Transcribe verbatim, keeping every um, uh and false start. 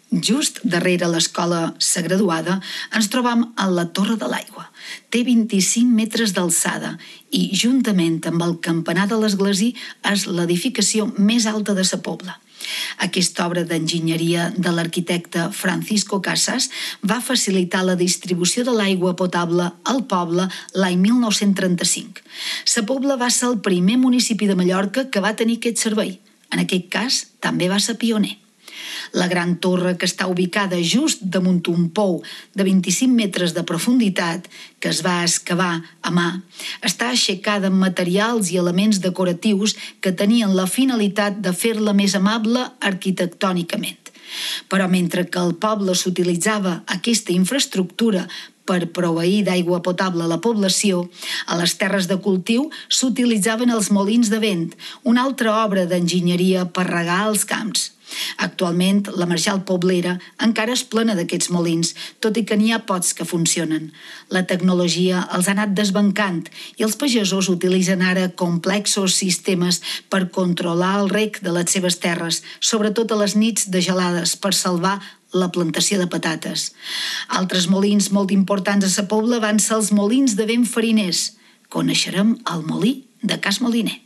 Just darrere l'escola Sa Graduada ens trobam a la Torre de l'Aigua. Té vint-i-cinc metres d'alçada i, juntament amb el campanar de l'església, és l'edificació més alta de Sa Pobla. Aquesta obra d'enginyeria de l'arquitecte Francisco Casas va facilitar la distribució de l'aigua potable al poble l'any mil nou-cents trenta-cinc. Sa Pobla va ser el primer municipi de Mallorca que va tenir aquest servei. En aquest cas, també va ser pioner. La gran torre, que està ubicada just damunt un pou de vint-i-cinc metres de profunditat, que es va excavar a mà, està aixecada amb materials i elements decoratius que tenien la finalitat de fer-la més amable arquitectònicament. Però mentre que al poble s'utilitzava aquesta infraestructura per proveir d'aigua potable a la població, a les terres de cultiu s'utilitzaven els molins de vent, una altra obra d'enginyeria per regar els camps. Actualment, la Marjal Poblera encara és plena d'aquests molins, tot i que n'hi ha pocs que funcionen. La tecnologia els ha anat desbancant i els pagesos utilitzen ara complexos sistemes per controlar el reg de les seves terres, sobretot a les nits de gelades, per salvar la plantació de patates. Altres molins molt importants a Sa Pobla van ser els molins de vent fariners. Coneixerem el molí de Cas Moliner.